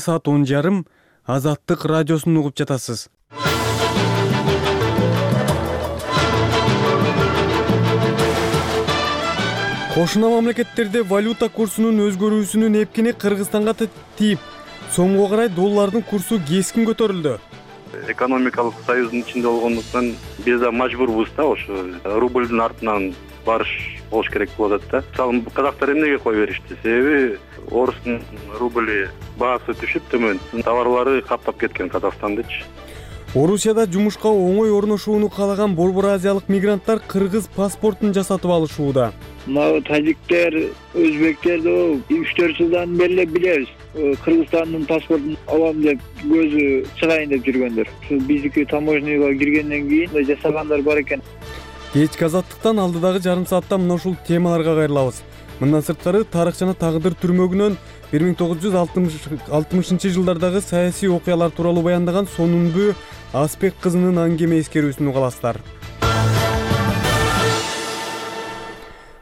Саат 10:30 Азаттык радиосун угуп жатасыз. Кошуна мамлекеттерде валюта курсунун өзгөрүүсүнүн эпкини Кыргызстанга тийип, сомго карай доллардын курсу кескин көтөрүлдү. Экономикалык союздун ичинде болгондуктан биз да мажбурбуз да ошо рублдун артынан барыш болуш керек болот да. Мисалы казактар эмнеге кое беришти? Себеби орустун рубли баасы түшүп төмөн, товарлары каптап кеткен Казакстандычы. Орусияда жумушка оңой орношууну каалаган Борбор Азиялык мигранттар кыргыз паспортун жасатып алышууда. Мына тажиктер, өзбектерди 3-4 жылдан бери билебиз. Кыргызстандын паспортун алам деп көзү чыгайын деп жүргөндөр. Биздики таможняга киргенден кийин жасагандар бар экен. Кечки Азаттыктан алдыдагы жарым саатта мына ушул темаларга кайрылабыз. Мындан сырткары тарых жана тагдыр түрмөгүнөн 1960-жылдардагы саясий окуялар тууралуу баяндаган Сонунбү Аспек кызынын аңгеме эскерүүсүн угаласыздар.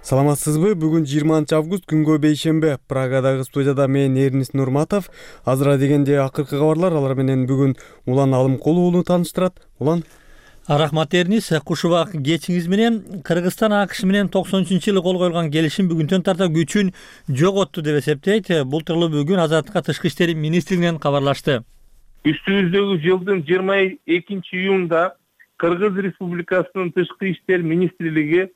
Саламатсызбы? Бүгүн 20-август күнгө бейшембе. Прагадагы студияда мен Эрнис Нурматов. Азыра дегенде акыркы кабарлар, алар менен бүгүн Улан Алымкулов уулу тааныштырат. Улан. Рахмат Эрнис, куш убак кечиңиз менен. Кыргызстан АКШ менен 93-жылы кол коюлган келишим бүгүнтөн тарта күчүн жоготту деп эсептейт. Бул тууралуу бүгүн Азаттыкка Тышкы иштер министрлигинен кабарлашты. Үстүбүздөгү жылдын 22-июнда Кыргыз Республикасынын Тышкы иштер министрлиги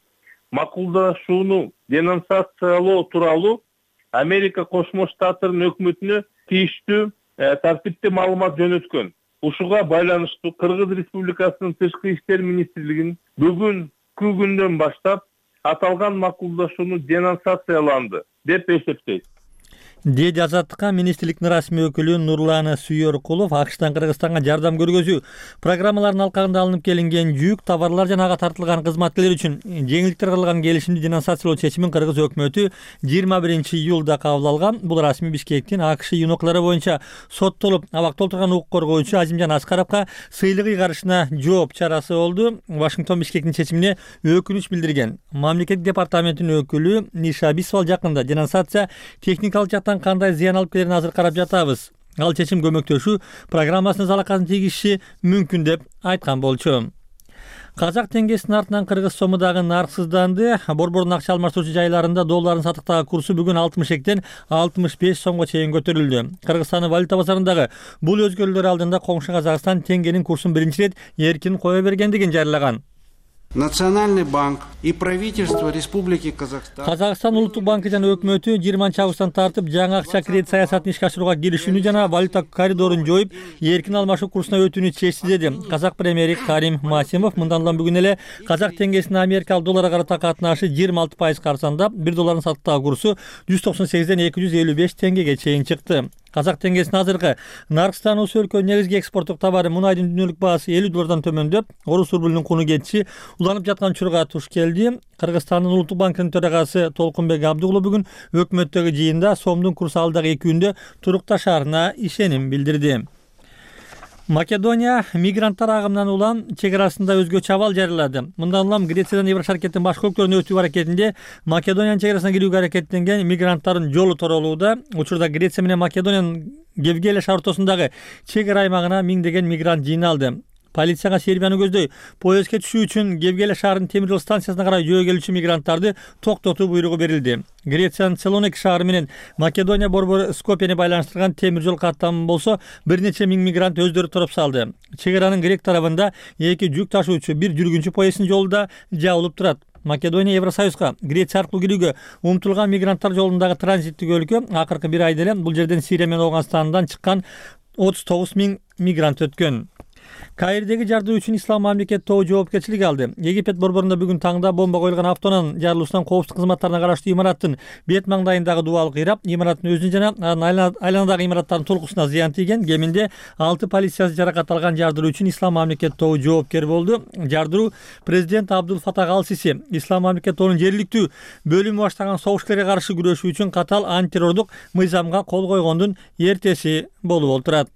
макулдашууну денонсациялоо тууралуу Америка Кошмо Штаттарынын өкмөтүнө тийиштүү тартипте маалымат жөнөткөн. Ушуга байланыштуу Кыргыз Республикасынын Тышкы иштер министрлигинин бүгүнкү күндөн баштап аталган макулдашууну денонсацияланды деп эсептейт. Деди Азаттыкка министрликтин расмий өкүлү Нурлан Сүйөркулов. АКШтан Кыргызстанга жардам көргөзүү программаларынын алкагында алынып келинген жүк, товарлар жана ага тартылган кызматкерлер үчүн жеңилдиктер кылган келишимди денонсациялоо чечимин Кыргыз өкмөтү 21-июлда кабыл алган. Бул расмий Бишкектин АКШ юноклары боюнча соттолуп абакта отурган укук коргоочу Азимжан Аскаровго сыйлык ыйгарышына жооп чарасы болду. Вашингтон Бишкектин чечимине өкүнүч билдирген. Мамлекеттик департаментинин өкүлү Ниша Бисвал жакында денонсация техникалык жактан кандай зыян алып келерин азыр карап жатабыз. Ал чечим көмөктөшүү программасына залакатын тийгизиши мүмкүн деп айткан болчу. Казак теңгесинин артынан кыргыз сому дагы нарксызданды. Борбордун акча алмаштыруучу жайларында доллардын сатыктагы курсу бүгүн 62-тен 65 сомго чейин көтөрүлдү. Кыргызстандын валюта базарындагы бул өзгөрүүлөр алдында коңшу Казакстан теңгенин курсун биринчи ирет эркин кое бергендигин жарыяган. Национальный банк и правительство Республики Казахстан. Казакстан улуттук банкы жана өкмөтү 20-августтан тартып жаңы акча кредит саясатын ишке ашырууга киришүүнү жана валюта коридорун жоюп, эркин алмашуу курсуна өтүүнү чечти деди Казак премьери Карим Масимов. Мындан улам бүгүн эле казак теңгесинин америкалык долларга карата катнашы 26% карсандап, 1 доллардын сатыктагы курсу 198ден 255 теңгеге чейин чыкты. Казак теңгесинин азыркы наркстануусу өлкөнүн негизги экспорттук товары мунайдын дүйнөлүк баасы 50 доллардан төмөндөп, орус рублунун куну кетиши уланып жаткан учурга туш келди. Кыргызстандын улуттук банкынын төрагасы Толкунбек Абдыгулов бүгүн өкмөттөгү жыйында сомдун курсу алдагы 2 күндө турукташарына ишеним билдирди. Македония мигранттар агымынан улам чек арасында өзгөчө абал жарыялады. Мындан улам Грециядан Евро шаркеттин башка өлкөлөрүнө өтүү аракетинде Македониянын чек арасына кирүүгө аракеттенген мигранттардын жолу торолууда. Учурда Греция менен Македониянын Гевгелия шаар ортосундагы чек ара аймагына миңдеген мигрант жыйналды. Полицияга Сербияны көздөй поездге түшүү үчүн Гевгелия шаарынын темир жол станциясына карай жөө келүүчү мигранттарды токтотуу буйругу берилди. Грециянын Целоник шаары менен Македония борбору Скопияны байланыштырган темир жол каттамы болсо бир нече миң мигрант өздөрү туруп салды. Чек аранын грек тарабында 2 жүк ташуучу, 1 жүргүнчү поезддин жолу да жабылып турат. Македония Евросоюзга Греция аркылуу кирүүгө умтулган мигранттар жолундагы транзиттик өлкө. Акыркы бир айда эле бул жерден Сирия менен Ауганстандан чыккан 39 миң мигрант өткөн. Каирдеги жардоо үчүн Ислам мамлекет тобу жоопкерчилик алды. Египет борборунда бүгүн таңда бомба коюлган автоунан жарылуусунан коопсуздук кызматтарына караштуу имараттын бет маңдайындагы дубал кыйрап, имараттын өзүнө жана айланадагы имараттардын толкусуна зыян тийген. Кеминде 6 полициячы жаракат алган. Жардыруу үчүн Ислам мамлекет тобу жоопкер болду. Жардыруу президент Абдул Фатах Ал-Сиси Ислам мамлекет тобунун жергиликтүү бөлүмү баштаган согуштарга каршы күрөшүү үчүн катал антитеррордук мыйзамга кол койгондун эртеси болуп отурат.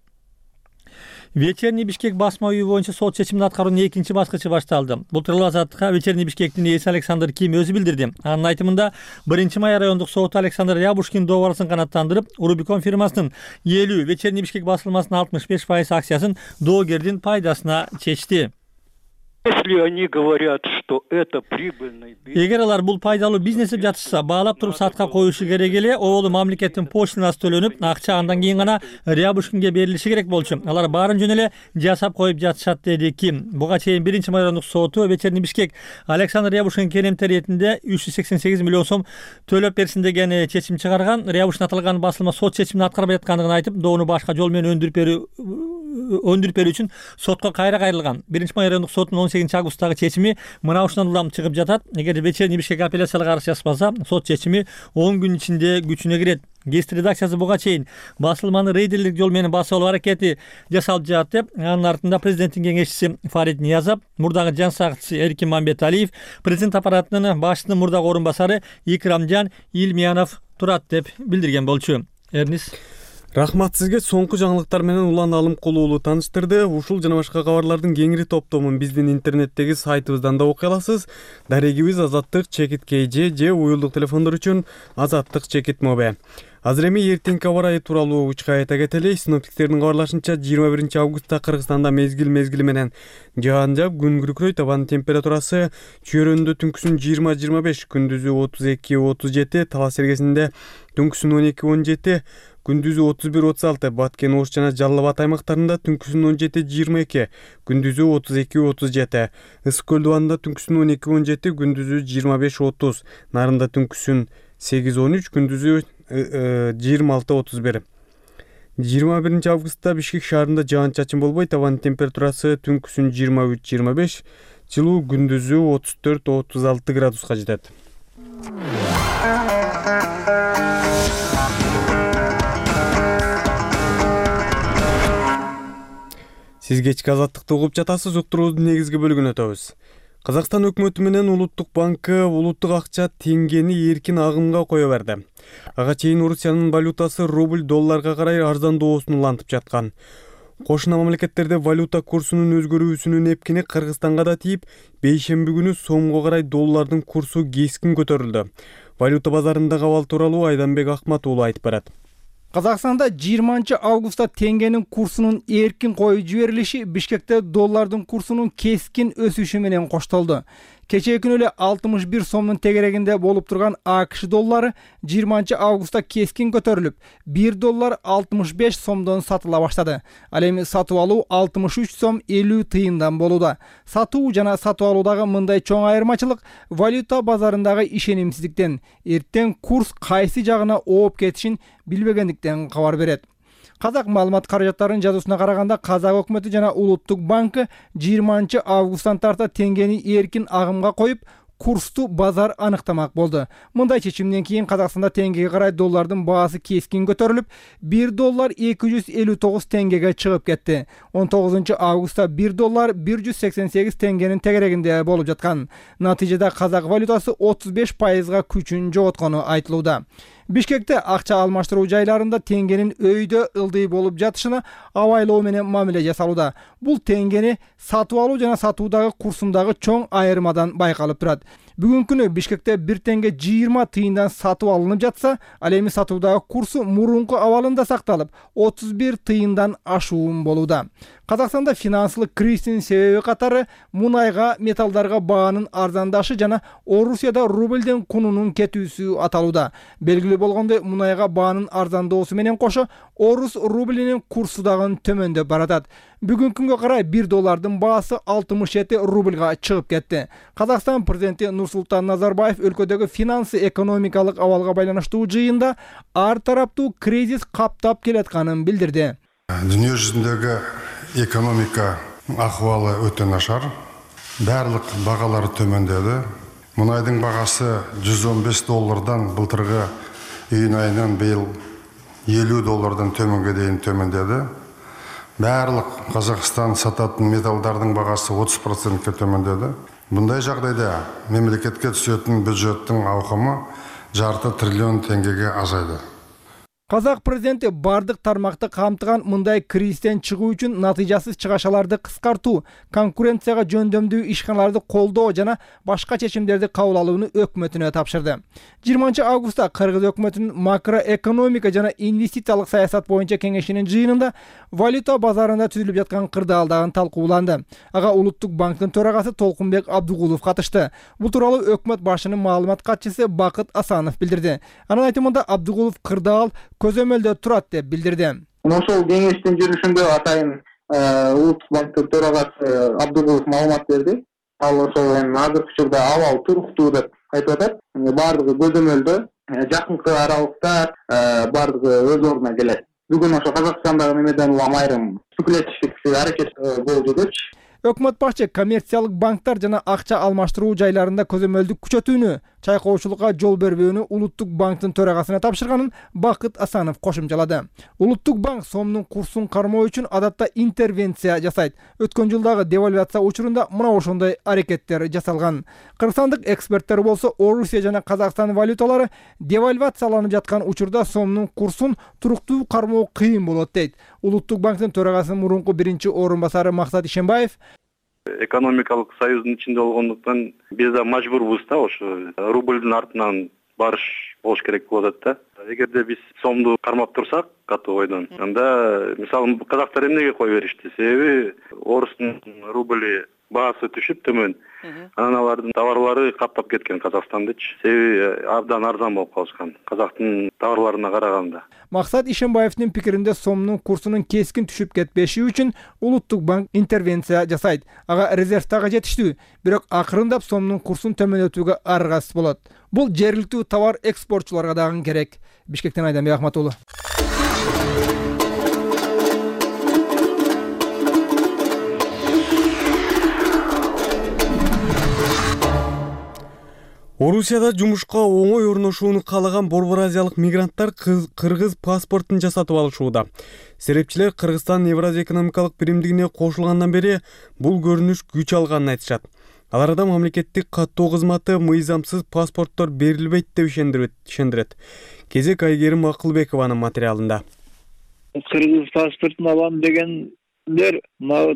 Вечерний Бишкек басма үйү боюнча сот чечимин аткаруунун экинчи баскычы башталды. Бул тууралуу Азаттыкка Вечерний Бишкектин ээси Александр Ким өзү билдирди. Анын айтымында 1-май райондук соту Александр Рябушкин договорун канааттандырып, Рубикон фирмасынын 50, Вечерний Бишкек басылмасынын 65% акциясын доогердин пайдасына чечти. Если они говорят, что это прибыльный бизнес. Эгер алар бул пайдалуу бизнес деп жатышса, баалап туруп сатка коюшу керек эле, оболу мамлекеттин почтасына төлөнүп, акча андан кийин гана Рябушкинге берилиши керек болчу. Алар баарын жөн эле жасап коюп жатышат, деди Ким. Буга чейин 1-май райондук соту Вечерний Бишкек Александр Рябушкин келемтер иретинде 388 миллион сом төлөп берсин деген чечим чыгарган. Рябушкин аталган басылма сот чечимин аткарбай аткандыгын айтып, доону башка жол менен өндүрүп берүү үчүн сотко кайра кайрылган. 1-май райондук сотунун 18-августтагы чечими мына ушундан улам чыгып жатат. Эгер Вечерний Бишкек апелляциялык арыз жазбаса, сот чечими 10 күн ичинде күчүнө кирет. Гест редакциясы буга чейин басылманы рейдерлик жол менен басып алуу аракети жасалып жатат деп, анын артында президенттин кеңешчиси Фарид Ниязов, мурдагы жан сакчысы Эркин Мамбеталиев, президент аппаратынын башчысынын мурдагы орун басары Икрамжан Илмиянов турат деп билдирген болчу. Эрнис. Рахмат сизге. Соңку жаңылыктар менен Улан Алымкулуу тааныштырды. Ушул жана башка кабарлардын кеңири топтомун биздин интернеттеги сайтыбыздан да окуй аласыз. Дарегибиз azattik.kj же уюлдук телефондор үчүн azattik.mob. Азыр эми эртеңки аба ырайы тууралуу учка айта кетели. Синоптиктердин кабарлашынча 21 августта Кыргызстанда мезгили менен жаан жаап, күн күркүрөйт. Абанын температурасы чөйрөндө түнкүсүн 20-25, күндүзү 32-37, Талас эргесинде түнкүсүн 12-17, күндүзү 31-36, Баткен, Ош жана Жалал Абад аймактарында түнкүсүн 17-22, күндүзү 32-37, Ысык көл дубанында түнкүсүн 12-17, күндүзү 25-30, Нарында түнкүсүн 8-13, күндүзү 26-31. 21 августта Бишкек шаарында жаан чачын болбойт. Абанын температурасы түнкүсүн 23-25, жылуу күндүзү 34-36 градуска жетет. Сиз кечки азаттыкты угуп жатасыз. Уктуруубуздун негизги бөлүгүнө өтөбүз. Казакстан өкмөтү менен Улуттук банкы улуттук акча теңгени эркин агымга кое берди. Ага чейин Орусиянын валютасы рубль долларга карай арзандоосун улантып жаткан. Кошуна мамлекеттерде валюта курсунун өзгөрүүсүнүн эпкини Кыргызстанга да тийип, бейшемби күнү сомго карай доллардын курсу кескин көтөрүлдү. Валюта базарындагы абал тууралуу Айданбек Акмат уулу айтып берет. Казакстанда 20 августта теңгенин курсунун эркин коюп жиберилиши Бишкекте доллардын курсунун кескин өсүшү менен коштолду. Кечээ күнү эле 61 сомдун тегерегинде болуп турган АКШ доллары 20 августта кескин көтөрүлүп, 1 доллар 65 сомдон сатыла баштады. Ал эми сатып алуу 63 сом 50 тыйындан болууда. Сатуу жана сатып алуудагы мындай чоң айырмачылык валюта базарындагы ишенимсиздиктен, эртең курс кайсы жагына ооп кетишин билбегендиктен кабар берет. Казак маалымат каражаттарынын жазуусуна караганда, Казак өкмөтү жана Улуттук банкы 20 августтан тарта теңгени эркин агымга коюп, курсту базар аныктамак болду. Мындай чечимден кийин Казакстанда теңгеге карай доллардын баасы кескин көтөрүлүп, 1 доллар 259 теңгеге чыгып кетти. 19 августта 1 доллар 188 теңгенин тегерегинде болуп жаткан. Натыйжада казак валютасы 35%га күчүн жоготкону айтылууда. Бишкекте акча алмаштыруу жайларында теңгенин өйдө ылдый болуп жатышына абайлоо менен мамиле жасалууда. Бул теңгени сатып алуу жана сатуудагы курсундагы чоң айырмадан байкалып турат. Бүгүнкү күнү Бишкекте 1 теңге 20 тыйындан сатып алынып жатса, ал эми сатуудагы курсу мурунку абалында сакталып, 31 тыйындан ашуун болууда. Казакстанда финансылык кризистин себеби катары мунайга, металлдарга баанын арзандашы жана Орусияда рубльдин кунунун кетүүсү аталууда. Белгилүү болгондой, мунайга баанын арзандоосу менен кошо орус рублинин курсу дагы төмөндөп баратат. Бүгүнкү күнгө карай 1 доллардын баасы 67 рубльга чыгып кетти. Казакстан президенти Нурсултан Назарбаев өлкөдөгү финансы экономикалык абалга байланыштуу жыйында ар тараптуу кризис каптап келатканын билдирди. Дүние жүзүндөгү экономика акыбалы өтө нашар. Барлык багалар төмөндөдү. Мунайдын багасы 115 доллардан былтыркы июнь айынан быйыл 50 доллардан төмөнгө дейин төмөндөдү. Барлык Казакстан сататын металлдардын багасы 30%га төмөндөдү. Мындай жагдайда мемлекетке түсөтүн бюджеттин аукамы 0,5 триллион теңгеге азайды. Казак президенти бардык тармакты камтыган мындай кризистен чыгуу үчүн натыйжасыз чыгашаларды кыскартуу, конкуренцияга жөндөмдүү ишканаларды колдоо жана башка чечимдерди кабыл алууну өкмөтүнө тапшырды. 20 августта Кыргыз өкмөтүнүн макроэкономика жана инвестициялык саясат боюнча кеңешинин жыйынында валюта базарында түзүлүп жаткан кырдаалдагы талкууланды. Ага Улуттук банктын төрагасы Толкунбек Абдыгулов катышты. Бул тууралуу өкмөт башынын маалымат катчысы Бакыт Асанов билдирди. Анын айтымында Абдыгулов кырдаал көзөмөлдө турат деп билдирди. Ошол кеңештин жүрүшүндө атайын Улуттук банктын төрагасы Абдыгулов маалымат берди. Ал ошол азыркы учурда абал туруктуу деп айтып атат. Бардыгы көзөмөлдө жакынкы аралыкта бардыгы өз ордуна келет. Бүгүн ошо Казакстандагы немеден улам айрым спекулятивдик аракет болуп жүрөчү. Өкмөт башчы коммерциялык банктар жана акча алмаштыруу жайларында көзөмөлдү күчөтүүнү, чайкоочулукка жол бербөөнү Улуттук банктын төрагасына тапшырганын Бакыт Асанов кошумчалады. Улуттук банк сомдун курсун кармоо үчүн адатта интервенция жасайт. Өткөн жылдагы девальвация учурунда мына ошондой аракеттер жасалган. Кыргызстандык эксперттер болсо Орусия жана Казакстан валюталары девальвацияланып жаткан учурда сомдун курсун туруктуу кармоо кыйын болот дейт. Улуттук банктын төрагасынын мурунку биринчи орун басары Максат Ишенбаев экономикалык союздун ичинде болгондуктан биз да мажбурбуз да ошо рубльдин артынан барыш болуш керек болуп атат да. Эгерде биз сомду кармап турсак катуу бойдон, анда мисалы казактар эмнеге кое беришти? Себеби орустун рубли баасы түшүп төмөн. Анан алардын товарлары каптап кеткен Казакстандычы. Себеби абдан арзан болуп калышкан казактын товарларына караганда. Максат Ишенбаевдин пикиринде сомдун курсунун кескин түшүп кетпеши үчүн Улуттук банк интервенция жасайт. Ага резерв дагы жетиштүү, бирок акырындап сомдун курсун төмөндөтүүгө аргасыз болот. Бул жергиликтүү товар экспортчуларга дагы керек. Бишкектен Айданбек Ахматуллу. Орусияда жумушка оңой орношууну каалаган Борбор Азиялык мигранттар кыргыз паспортун жасатып алышууда. Серепчилер Кыргызстан Евразия экономикалык биримдигине кошулгандан бери бул көрүнүш күч алганын айтышат. Аларда мамлекеттик каттоо кызматы мыйзамсыз паспорттор берилбейт деп ишендирет. Кезек Айгерим Акылбекованын материалында. Кыргыз паспортун алам дегендер,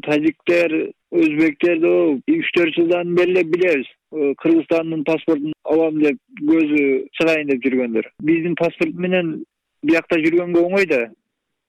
тажиктер, өзбектерди 3-4 жылдан бери билебиз. Кыргызстандын паспортун алам деп көзү чыгайын деп жүргөндөр. Биздин паспорт менен биякта жүргөнгө оңой да.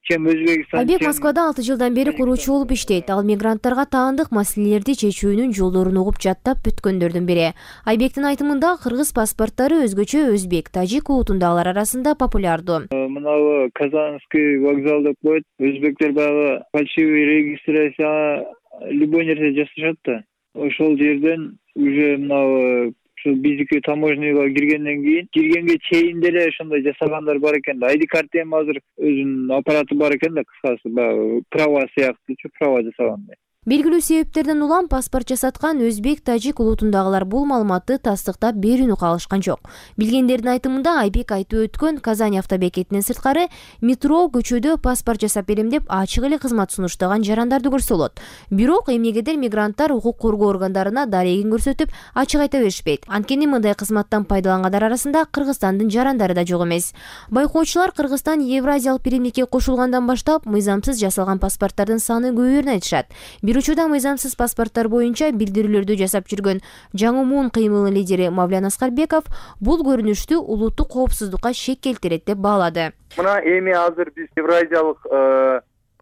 Чем Өзбекстан. Айбек Москвада 6 жылдан бери куруучу болуп иштейт. Ал мигранттарга таандык маселелерди чечүүнүн жолдорун угуп жаттап бүткөндөрдүн бири. Айбектин айтымында кыргыз паспорттору өзгөчө өзбек, тажик улутундагылар арасында популярдуу. Мынабы Казанский вокзал деп коет. Өзбектер баягы фальшивый регистрация любой нерсе жасашат да. Ошол жерден уже мынабы биздики таможняга киргенге чейин деле ошондой жасагандар бар экен да. ID карта эми азыр өзүнүн аппараты бар экен да, кыскасы баягы права сыяктуучу права жасагандай. Белгилүү себептерден улам паспорт жасаткан өзбек, тажик улутундагылар бул маалыматты тастыктап берүүнү каалашкан жок. Билгендердин айтымында Айбек айтып өткөн Казань автобекетинен сырткары метро көчөдө паспорт жасап берем деп ачык эле кызмат сунуштаган жарандарды көрсө болот. Бирок эмнегедир мигранттар укук коргоо органдарына дарегин көрсөтүп ачык айта беришпейт. Анткени мындай кызматтан пайдалангандар арасында Кыргызстандын жарандары да жок эмес. Байкоочулар Кыргызстан Евразиялык биримдикке кошулгандан баштап мыйзамсыз жасалган паспорттардын саны көбөйөрүн айтышат. Бир учурда мыйзамсыз паспорттор боюнча билдирүүлөрдү жасап жүргөн Жаңумун кыймылы лидери Мавлян Аскарбеков бул көрүнүштү улуттук коопсуздукка шек келтирет деп баалады. Мына эми азыр биз Евразиялык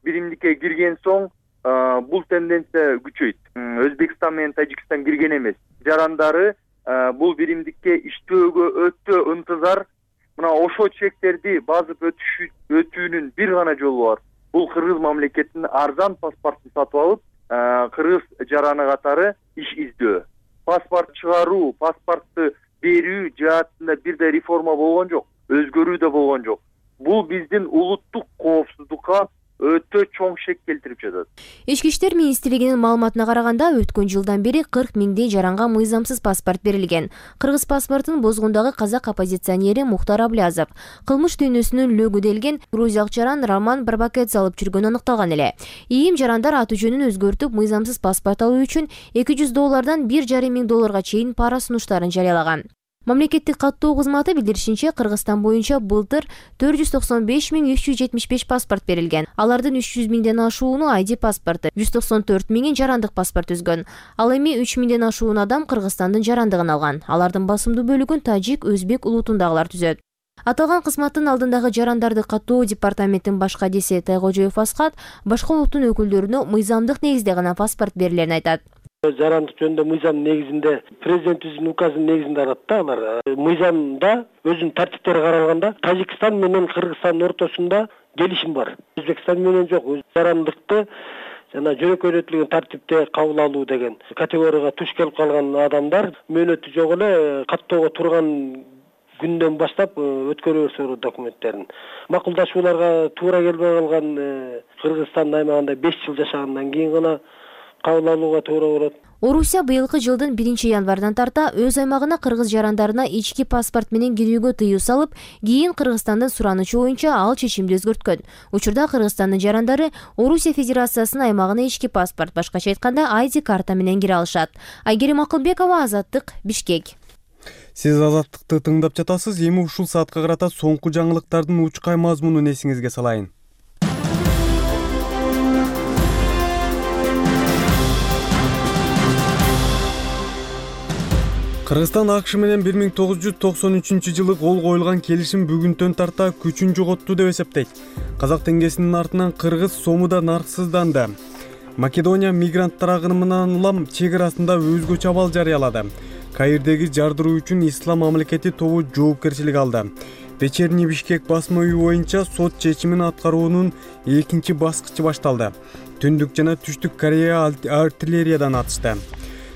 биримдикке кирген соң бул тенденция күчөйт. Өзбекстан менен Тажикстан кирген эмес. Жарандары бул биримдикке иштөөгө өтө ынтызар. Мына ошо чектерди базып өтүүнүн бир гана жолу бар. Бул кыргыз мамлекетинин арзан паспортун сатып алып, кыргыз жараны катары иш издөө. Паспорт чыгаруу, паспортту берүү жаатында бирдей реформа болгон жок, өзгөрүү да болгон жок. Бул биздин улуттук коопсуздукка өтө чоң шек келтирип жатат. Ички иштер министрлигинин маалыматына караганда өткөн жылдан бери 40 миңдей жаранга мыйзамсыз паспорт берилген. Кыргыз паспортун бозгондагы казак оппозиционери Мухтар Аблязов кылмыш дүйнөсүнүн лөгүделген грузиялык жаран Роман Барбакедзе алып жүргөнү аныкталган эле. ИИМ жарандар аты жөнүн өзгөртүп, мыйзамсыз паспорт алуу үчүн $200 $1,5 миң чейин пара сунуштарын жарыялаган. Мамлекеттик каттоо кызматы билдиришинче, Кыргызстан боюнча былтыр 495.375 паспорт берилген. Алардын 300.000ден ашууну ID паспорту, 194.000 жарандык паспорт түзгөн. Ал эми 3.000ден ашуун адам Кыргызстандын жарандыгын алган. Алардын басымдуу бөлүгүн тажик, өзбек улутундагылар түзөт. Аталган кызматтын алдындагы жарандарды каттоо департаменттин баш кадиси Тайкожоев Асхат башка улуттун өкүлдөрүнө мыйзамдык негизде гана паспорт берилерин айтат. Жарандык жөнүндө мыйзам негизинде, президентибиздин указынын негизинде алат да алар. Мыйзамда өзүнүн тартиптери каралганда Тажикстан менен Кыргызстандын ортосунда келишим бар. Өзбекстан менен жок. Жарандыкты жана жөнөкөйлөтүлгөн тартипте кабыл алуу деген категорияга туш келип калган адамдар мөөнөтү жок эле каттоого турган күндөн баштап өткөрөбүз документтерин. Макулдашууларга туура келбей калган Кыргызстандын аймагында 5 жыл жашагандан кийин гана кабыл алууга туура болот. Орусия быйылкы жылдын 1-январдан тарта өз аймагына кыргыз жарандарына ички паспорт менен кирүүгө тыюу салып, кийин Кыргызстандын суранычы боюнча ал чечимди өзгөрткөн. Учурда Кыргызстандын жарандары Орусия Федерациясынын аймагына ички паспорт, башкача айтканда ID карта менен кире алышат. Айгерим Акылбекова, Азаттык, Бишкек. Сиз Азаттыкты тыңдап жатасыз. Эми ушул саатка карата соңку жаңылыктардын учкай мазмунун эсиңизге салайын. Кыргызстан АКШ менен 1993-жылы кол коюлган келишим бүгүнтөн тарта күчүн жоготту деп эсептейт. Казак теңгесинин артынан кыргыз сому да нарксызданды. Македония мигранттар агымынан улам чек арасында өзгөчө абал жарыялады. Каирдеги жардыруу үчүн Ислам мамлекети тобу жоопкерчилик алды. Вечерний Бишкек басма үйү боюнча сот чечимин аткаруунун экинчи баскычы башталды. Түндүк жана Түштүк Корея артиллериядан атышты.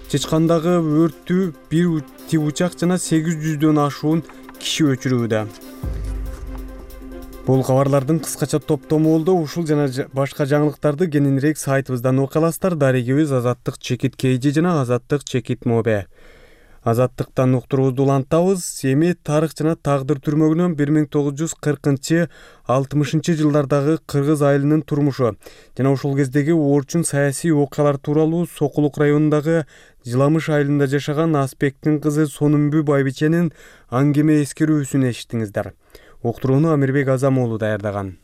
Чечкандагы өрттү бир учак жана 800дөн ашуун киши өчүрүүдө. Бул кабарлардын кыскача топтому болду. Ушул жана башка жаңылыктарды кененирээк сайтыбыздан окуя аласыздар. Дарегибиз Азаттык чекит KG жана Азаттык чекит Mobe. Азаттыктан уктуруубузду улантабыз. Эми тарых жана тагдыр түрмөгүнөн 1940-60 жылдардагы кыргыз айылынын турмушу жана ушул кездеги орчун саясий окуялар тууралуу Сокулук районундагы Жыламыш айылында жашаган Аспектин кызы Сонумбү Байбиченин аңгеме эскерүүсүн эшиттиңиздер. Уктурууну Амирбек Азамоğlu даярдаган.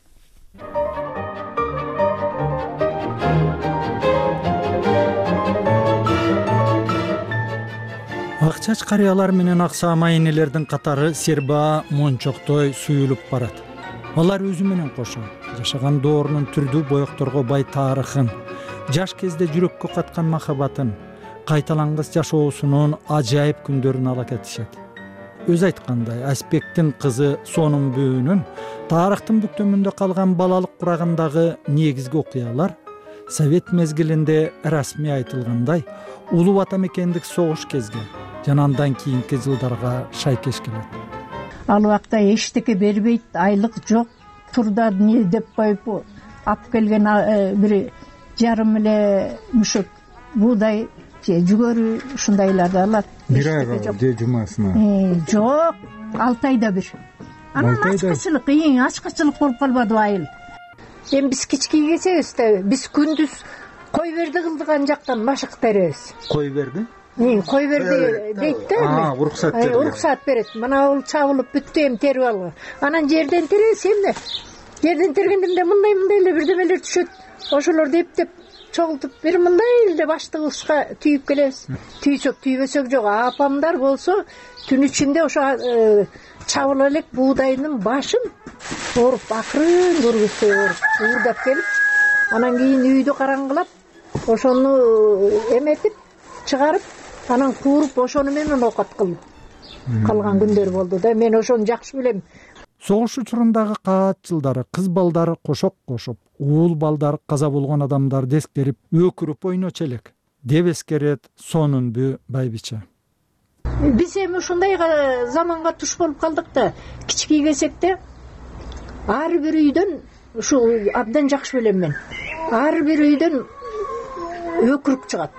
Акчач карыялар менен аксаама энелердин катары сербаа мончоктой суюлуп барат. Алар өзү менен кошо жашаган доорунун түрдүү боекторго бай тарыхын, жаш кезде жүрөккө каткан махабатын, кайталангыс жашоосунун ажайып күндөрүн ала кетишет. Өз айткандай, Аспектин кызы Сонумбүнүн тарыхтын бүктөмүндө калган балалык курагындагы негизги окуялар Совет мезгилинде расмий айтылгандай улуу ата мекендик согуш кезге жана андан кийинки жылдарга шайкеш келет. Ал убакта эчтеке бербейт, айлык жок, турда не деп коюп алып келген бир жарым эле мүшөк буудай же жүгөрү ушундайларды алат. Бир айга же жумасына? Жок, 6 айда бир. Анан ачкычылык, ачкычылык болуп калбадыбы айыл? Эми биз кички келсебиз да, биз күндүз кой берди кылдык ан жактан машык беребиз. Кой берди? Кой берди дейт да. Уруксат берди. Уруксат берет. Мына ол чабылып бүттү, эми терип алган. Анан жерден теребиз эмне? Жерден тергендимде мындай эле бирдемелер түшөт. Ошолорду эптеп чогултуп бир мындай эле баштыгыбызга түйүп келебиз. Түйсөк түйбөсөк жок. Апамдар болсо түн ичинде ошо чабыла элек буудайдын башын оруп акырын көргөзсө уурдап келип, анан кийин үйдү караңгылап, ошону эметип, чыгарып, анан кууруп, ошону менен оокат кылып калган күндөр болду да. Мен ошону жакшы билем. Согуш учурундагы каат жылдары кыз балдары кошок кошуп, уул балдар каза болгон адамдарды эскерип, өкүрүп ойночу элек деп эскерет Сонумбү Байбиче. Биз эми ушундай заманга туш болуп калдык да, кички келсек ар бир үйдөн, ушу абдан жакшы билем мен, ар бир үйдөн өкүрүк чыгат.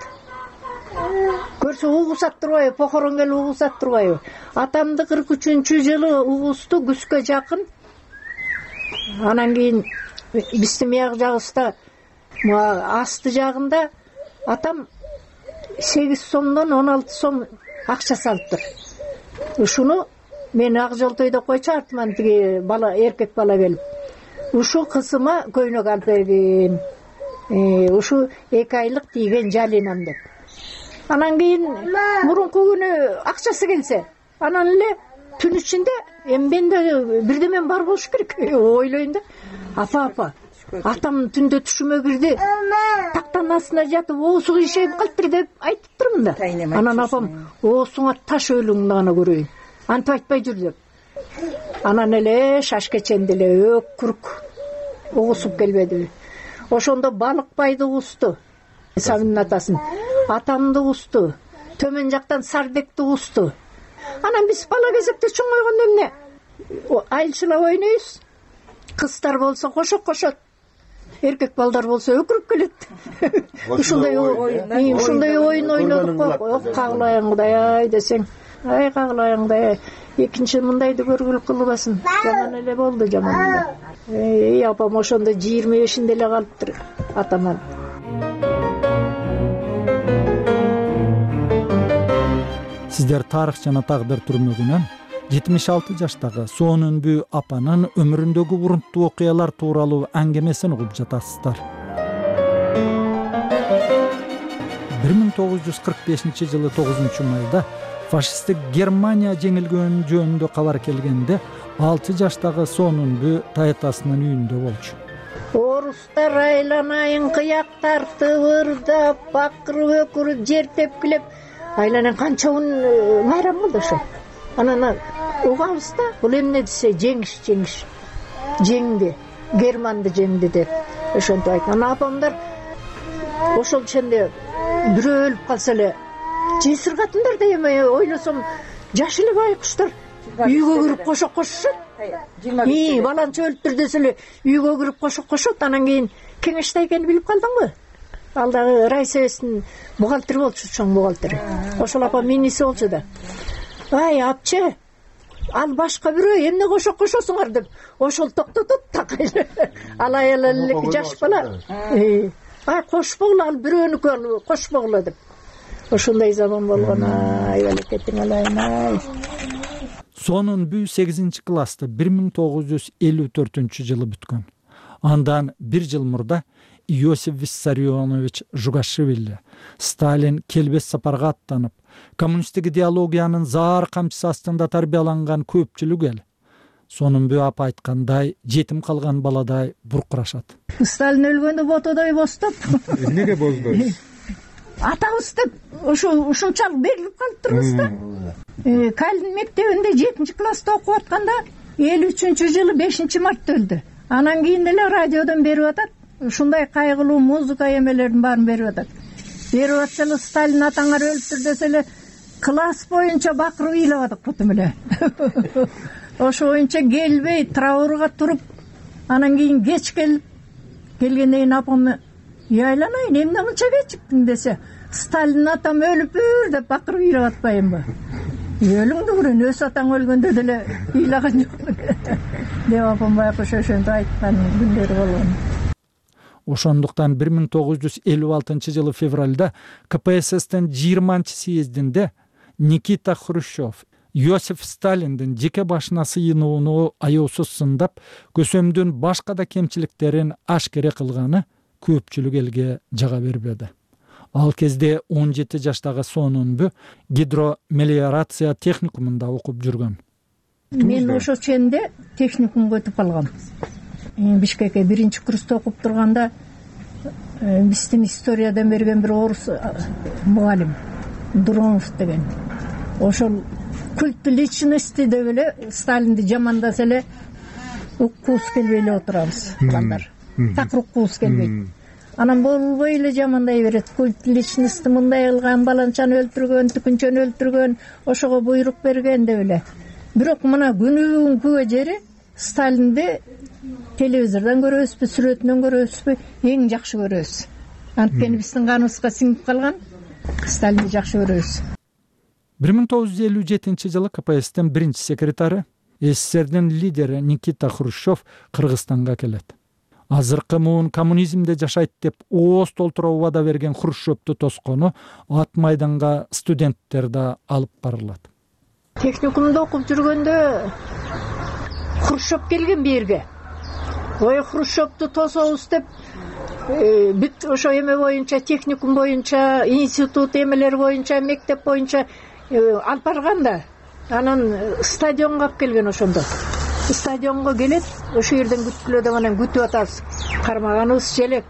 Көрсө угусат турбайбы, похорон келип угусат турбайбы? Атамды 43-жылы угусту күзгө жакын. Анан кийин биздин мияк жагыбызда асты жагында атам 8 сомдон 16 сом акча салыптыр. ушуну мен ак жолтойдо койчу, артыман тиги бала, эркек бала келип, ушу кызыма көйнөк алып бергин, ушу 2 айлык тийген жалинам деп. Анан кийин мурунку күнү акчасы келсе, анан эле түн ичинде менде бирдеме бар болуш керек, ойлойм да. Апа, атам түндө түшүмө кирди, тактан астына жатып оосу кыйшайып калыптыр деп айтыптырмын да. Анан апам, оосуңа таш өлүң гана көрөйүн, антип айтпай жүр деп. Анан эле шашкеченде эле өкүрүк угусуп келбедиби. Ошондо балыкбайды угусту, Сабинин атасын, атамды угусту, төмөн жактан Сардекти угусту. Анан биз бала кезекте чоңойгондо эмне? Айылчылап ойнойбуз. Кыздар болсо кошот, эркек балдар болсо өкүрүп келет. Ушундай оюн ойнодук го. Кагылайын Кудай десең, ай кагылайын Кудай. Экинчи мындайды көргүлү кылбасын. Жаман эле болду, жаман эле. Апам ошондо 25-inde эле калыптыр, атаман. Сиздер тарых жана тагдыр түрмөгүнөн 76 жаштагы Сонунбү апанын өмүрүндөгү урунттуу окуялар тууралуу аңгемесин угуп жатасыздар. 1945-жылы 9-майда фашисттик Германия жеңилгөн жөнүндө кабар келгенде 6 жаштагы Сонунбү таятасынын үйүндө болчу. Орустар айланайын кыяк тартып, ырдап, бакырып, өкүрүп, жер тепкилеп, айланайын канча күн майрам болду ошо. Анан угабыз да, бул эмне десе, жеңиш. Жеңди, Германды жеңди деп ошентип айтты. Анан апамдар ошол ченде бирөө өлүп калса эле жесиргатындар да, эме ойлосом жаш эле байкуштар үйгө кирип кошот. Баланча өлүптүр десе эле үйгө кирип кошот. Анан кийин кеңеште экенин билип калдыңбы? Ал дагы райсоветтин бухгалтери болчу, чоң бухгалтери. Ошол апам миниси болчу да. Ай, апчы, ал башка бирөө, эмне кошосуңар деп, ошол токтотот так. Ал аял эле жаш бала. Ай, кошпогула, ал бирөөнүкү, ал кошпогула деп. Ошондой заман болгон, ай, балекетиң алайын. Сонунбү 8-классты 1954-жылы бүткөн. Андан 1 жыл мурда Иосиф Виссарионович Жугашвили Сталин келбес сапарга аттанып, коммунисттик идеологиянын заар камчысы астында тарбияланган көпчүлүк эл Сонунбү апа айткандай жетим калган баладай буркурашат. Сталин өлгөндө ботодой боступ. Эмнеге боздойбуз? Атабыз деп ушунчалык берилип калыптырбыз да. Калин мектебинде 7-класста окуп атканда 53-жылы 5-мартта өлдү. Анан кийин эле радиодон берип атат. Ушундай кайгылуу музыка эмелердин баарын берип атат. Берип атса эле Сталин атаңар өлүптүр десе эле класс боюнча бакырып ыйлабадык бутум эле. Ошо боюнча келбей траурга туруп, анан кийин кеч келгенден кийин апамы айланайын, эмне мынча кечиктиң десе, Сталин атам өлүптүр деп бакырып ыйлап атпайынбы? Өлүңдү көрөйүн, өз атаң өлгөндө деле ыйлаган жок деп апам байкуш ошентип айткан күндөрү болгон. Ошондуктан 1956-жылы февралда КПССтин 20-съездинде Никита Хрущев Иосиф Сталиндин жеке башына сыйынууну аеусуз сындап, көсөмдүн башка да кемчиликтерин ашкере кылганы көпчүлүк элге жага бербеди. Ал кезде 17 жаштагы Сонунбү гидромелиорация техникумунда окуп жүргөн. Мен ошо ченде техникумга өтүп калгам. Бишкекке 1-курста окуп турганда биздин историядан берген бир орус мугалим Дуромов деген. Ошол культ личности деп эле Сталинди жамандаса эле уккубуз келбей эле отурабыз балдар. Так уккубуз келбейт. Анан болбой эле жамандай берет. Культ личности мындай кылган, баланчаны өлтүргөн, түкүнчөнү өлтүргөн, ошого буйрук берген деп эле. Бирок мына күнүгүнгү жери Сталинди телевизордон көрөбүзбү, сүрөтүнөн көрөбүзбү, эң жакшы көрөбүз. Анткени биздин каныбызга сиңип калган, Сталинди жакшы көрөбүз. 1957-жылы КПССтин 1-секретары, СССРдин лидери Никита Хрущев Кыргызстанга келет. Азыркы муун коммунизмде жашайт деп ооз толтура убада берген Хрущевду тоскону ат майданга студенттер да алып барылат. Техникумда окуп жүргөндө Хрущев келген берге. Ой, Хрущевду тособуз деп бүт ошо эме боюнча, техникум боюнча, институт эмелер боюнча, мектеп боюнча алып барганда, анан стадионго алып келген ошондо. Стадионго келет, ошо жерден күткүлө деп анан күтүп атабыз. Кармаганыбыз желек.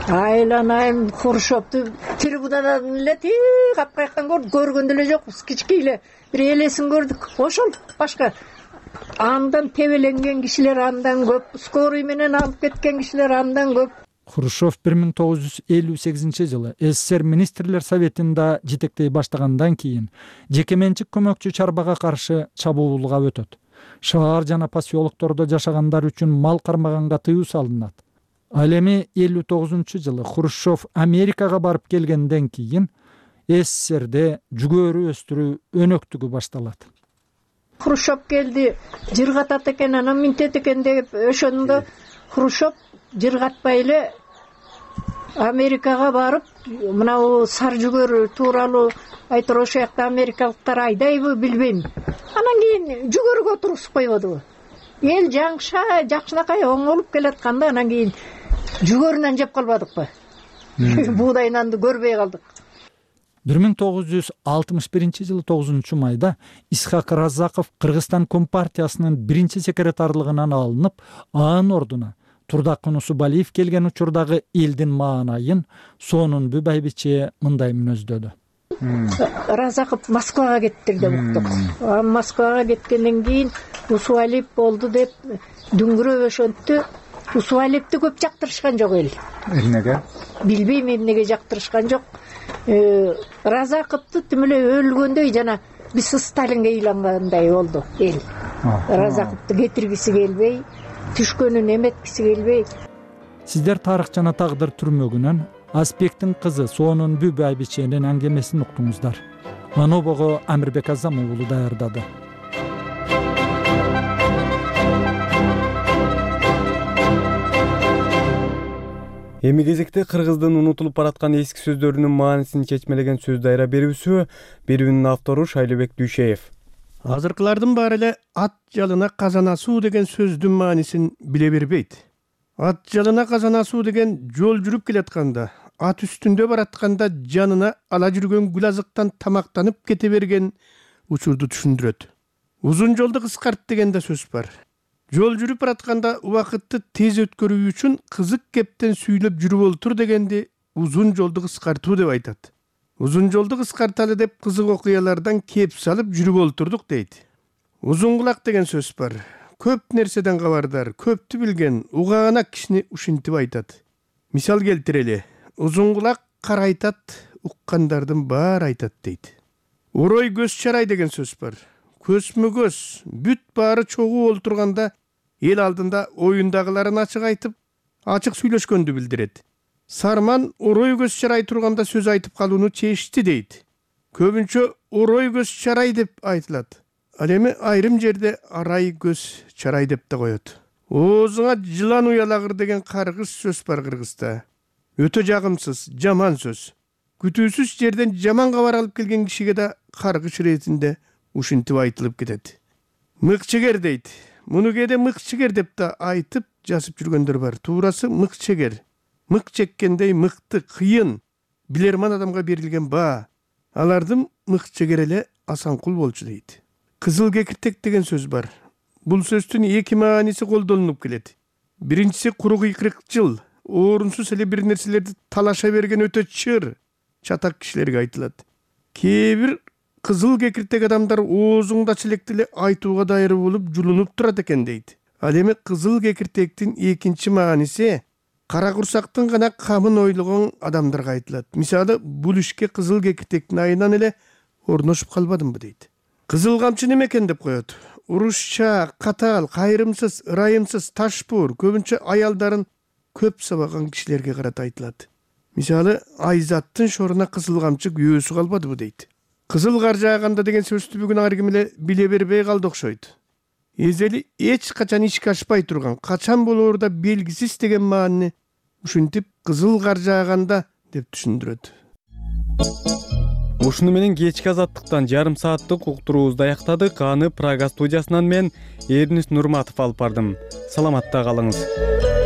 Айланайм Хрущевду трибунадан эле капкаяктан көргөн деле жокпуз. Кички эле бир элесин көрдүк. Ошол башка. Андан тебеленген кишилер андан көп, скорый менен алып кеткен кишилер андан көп. Хрущев 1958-жылы СССР министрлер советинде жетектей баштагандан кийин жеке менчик көмөкчү чарбага каршы чабуулга өтөт. Шаар жана поселоктордо жашагандар үчүн мал кармаганга тыюу салынат. Ал эми 59-жылы Хрущев Америкага барып келгенден кийин СССРде жүгөрү өстүрүү өнөктүгү башталат. Хрущев келди, жыргатат экен, анан минтет экен деп ошондо Хрущев жыргатпай эле Америкага барып, мына сар жүгөр тууралуу айтыр, ошо жакта америкалыктар айдайбы билбейм. Анан кийин жүгөргө тургузуп койбодубу. Эл жакшынакай оңолуп келатканда анан кийин жүгөрүнөн жеп калбадыкпы? Буудай нанды көрбөй калдык. 1961-жылы 9-майда Исхак Разаков Кыргызстан Компартиясынын биринчи секретарлыгынан алынып, анын ордуна Турдак Кунусубалиев келген учурдагы элдин маанайын Сонунбү байбиче мындай мүнөздөдү. Разаков Москвага кетти деп уктук. Москвага кеткенден кийин Усуалиев болду деп дүңгүрөп ошонту. Усуалиевди көп жактырышкан жок эл. Эмнеге? Билбейм эмнеге жактырышкан жок. Разаковду тим эле өлгөндөй жана биз Сталинге ыйлангандай болду эл. Разаковду кетиргиси келбей, түшкөнүн эметкиси келбей. Сиздер тарых жана тагдыр түрмөгүнөн Аспектин кызы Сонунбү байбиченин аңгемесин уктуңуздар. Манобого Амирбек Азам уулу даярдады. Эми кезекте кыргыздын унутулуп бараткан эски сөздөрүнүн маанисин чечмелеген сөз дайра берүүсү, берүүнүн автору Шайлыбек Дүйшеев. Азыркылардын баары эле ат жалына казан асуу деген сөздүн маанисин биле бербейт. Ат жалына казан асуу деген жол жүрүп келатканда, ат үстүндө баратканда жанына ала жүргөн гүл азыктан тамактанып кете берген учурду түшүндүрөт. Узун жолду кыскарт деген да сөз бар. Жол жүрүп баратканда убакытты тез өткөрүү үчүн кызык кептен сүйлөп жүрүп олтур дегенди узун жолду кыскартуу деп айтат. Узун жолду кыскарталы деп кызык окуялардан кеп салып жүрүп олтурдук дейт. Узун кулак деген сөз бар. Көп нерседен кабардар, көптү билген, угаана кишини ушинтип айтат. Мисал келтирели. Узун кулак карайтат, уккандардын баары айтат дейт. Урой көз чарай деген сөз бар. Көзмө көз, бүт баары чогуу олтурганда эл алдында оюндагыларын ачык айтып, ачык сүйлөшкөндү билдирет. Сарман урой көз чарай турганда сөз айтып калууну чечти дейт. Көбүнчө урой көз чарай деп айтылат. Ал эми айрым жерде арай көз чарай деп да коет. Оозуңа жылан уялагыр деген каргыш сөз бар Кыргызда. Өтө жагымсыз, жаман сөз. Күтүүсүз жерден жаман кабар алып келген кишиге да каргыш иретинде ушинтип айтылып кетет. Мыкчегер дейт. Муну кээде мыкчегер деп да айтып жазып жүргөндөр бар. Туурасы мыкчегер. Мык чеккендей мыкты, кыйын, билерман адамга берилген баа. Алардын мыкчегер эле Асанкул болчу дейт. Кызыл кекиртек деген сөз бар. Бул сөздүн эки мааниси колдонулуп келет. Биринчиси куру кыйкырыкчыл, орунсуз эле бир нерселерди талаша берген өтө чыр, чатак кишилерге айтылат. Кээ бир кызыл кекиртек адамдар оозуңда челекти эле айтууга дайыр болуп жулунуп турат экен дейт. Ал эми кызыл кекиртектин экинчи мааниси кара курсактын гана камын ойлогон адамдарга айтылат. Мисалы, бул ишке кызыл кекиртектин айынан эле орношуп калбадымбы дейт. Кызыл камчы неме экен деп коет. Урушча, катаал, кайрымсыз, ырайымсыз, ташпуур, көбүнчө аялдарын көп сабаган кишилерге карата айтылат. Мисалы, Айзаттын шоруна кызыл камчы күйөөсү калбадыбы дейт. Кызыл кар жааганда деген сөздү бүгүн ар ким эле биле бербей калды окшойт. Эзели эч качан ишке ашпай турган, качан болоору да белгисиз деген маанини ушинтип кызыл кар жааганда деп түшүндүрөт. Ушуну менен кечки азаттыктан жарым сааттык уктуруубузду аяктадык. Аны Прага студиясынан мен Эрнис Нурматов алып бардым. Саламатта калыңыз.